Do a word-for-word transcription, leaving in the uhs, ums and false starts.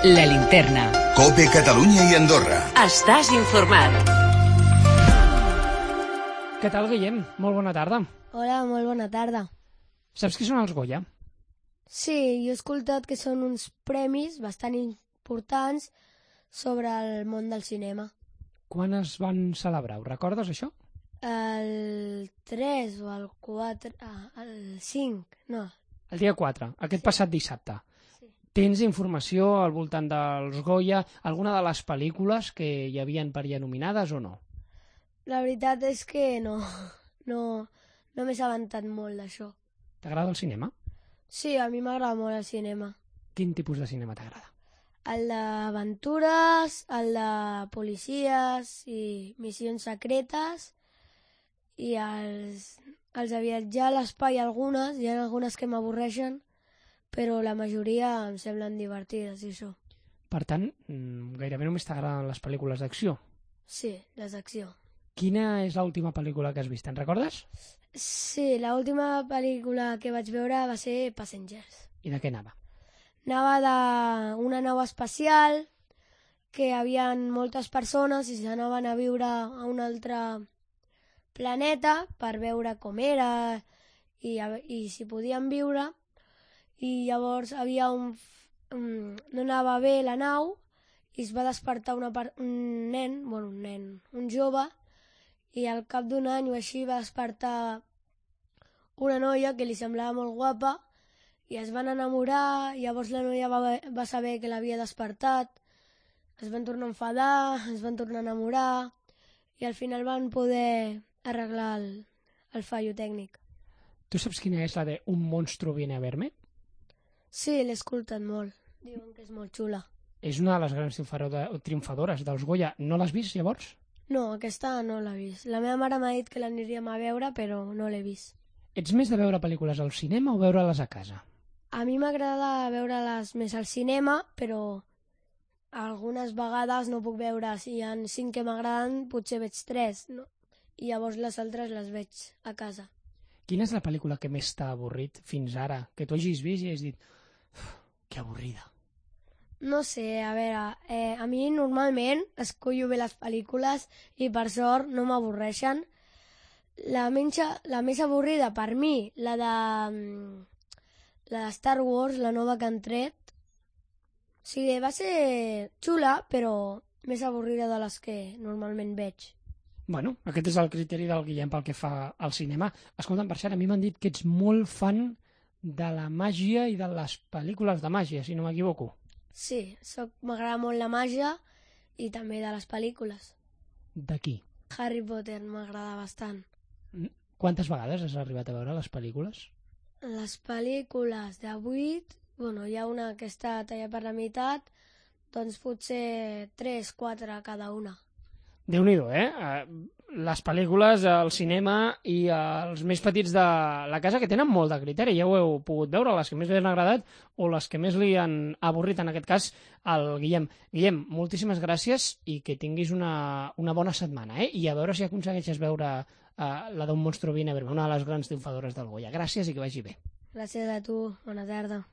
La Linterna. COPE Catalunya i Andorra. Estàs informat. Què tal, Guillem? Molt bona tarda. Hola, molt bona tarda. Saps què són els Goya? Sí, jo he escoltat que són uns premis bastant importants sobre el món del cinema. Quan es van celebrar? Ho recordes, això? El tres o el quatre... Ah, el cinc, no. El dia quatre, aquest Sí. passat dissabte. Sí. Tens informació al voltant dels Goya, alguna de les pel·lícules que hi havien per allà nominades o no? La veritat és que no, no, no m'he assabentat molt d'això. T'agrada el cinema? Sí, a mi m'agrada molt el cinema. Quin tipus de cinema t'agrada? El d'aventures, el de policies i missions secretes i els, els de viatjar a l'espai algunes, hi ha algunes que m'avorreixen, però la majoria em semblen divertides i això. Per tant, gairebé només t'agraden les pel·lícules d'acció. Sí, les d'acció. Quina és l'última pel·lícula que has vist? Te'n recordes? Sí, l'última pel·lícula que vaig veure va ser Passengers. I de què anava? Anava d'una nau espacial, que hi havia moltes persones i s'anaven a viure a un altre planeta per veure com era i, i si podien viure. I llavors havia un, un... no anava bé la nau i es va despertar una part, un nen, bueno, un nen, un jove, i al cap d'un any o així va despertar una noia que li semblava molt guapa i es van enamorar. Llavors la noia va, va saber que l'havia despertat, es van tornar a enfadar, es van tornar a enamorar i al final van poder arreglar el, el fallo tècnic. Tu saps quina és la de Un monstruo viene a verme? Sí, l'he escoltat molt. Diuen que és molt xula. És una de les grans triomfadores dels Goya. No l'has vist, llavors? No, aquesta no l'he vist. La meva mare m'ha dit que l'aniríem a veure, però no l'he vist. Ets més de veure pel·lícules al cinema o veure-les a casa? A mi m'agrada veure-les més al cinema, però algunes vegades no puc veure. Si hi ha cinc que m'agraden, potser veig tres, no? I llavors les altres les veig a casa. Quina és la pel·lícula que més t'ha avorrit fins ara? Que tu hagis vist i hagis dit que avorrida. No sé, a veure, eh, a mi normalment escollo bé les pel·lícules i per sort no m'avorreixen. La, menja, la més avorrida per mi, la de, la de Star Wars, la nova que han tret. Sí, va ser xula, però més avorrida de les que normalment veig. Bueno, aquest és el criteri del Guillem pel que fa al cinema. Escolta'm, per cert, a mi m'han dit que ets molt fan de la màgia i de les pel·lícules de màgia, si no m'equivoco. Sí, soc, m'agrada molt la màgia i també de les pel·lícules. De qui? Harry Potter m'agrada bastant. Quantes vegades has arribat a veure les pel·lícules? Les pel·lícules de vuit, bueno, hi ha una que està tallada per la meitat, doncs potser tres, quatre cada una. Déu-n'hi-do, eh? Les pel·lícules, el cinema i els més petits de la casa que tenen molt de criteri, ja ho heu pogut veure, les que més li han agradat o les que més li han avorrit, en aquest cas, al Guillem. Guillem, moltíssimes gràcies i que tinguis una, una bona setmana, eh? I a veure si aconsegueixes veure uh, la d'un monstru viene a verme, una de les grans triomfadores del Goya. Gràcies i que vagi bé. Gràcies a tu, bona tarda.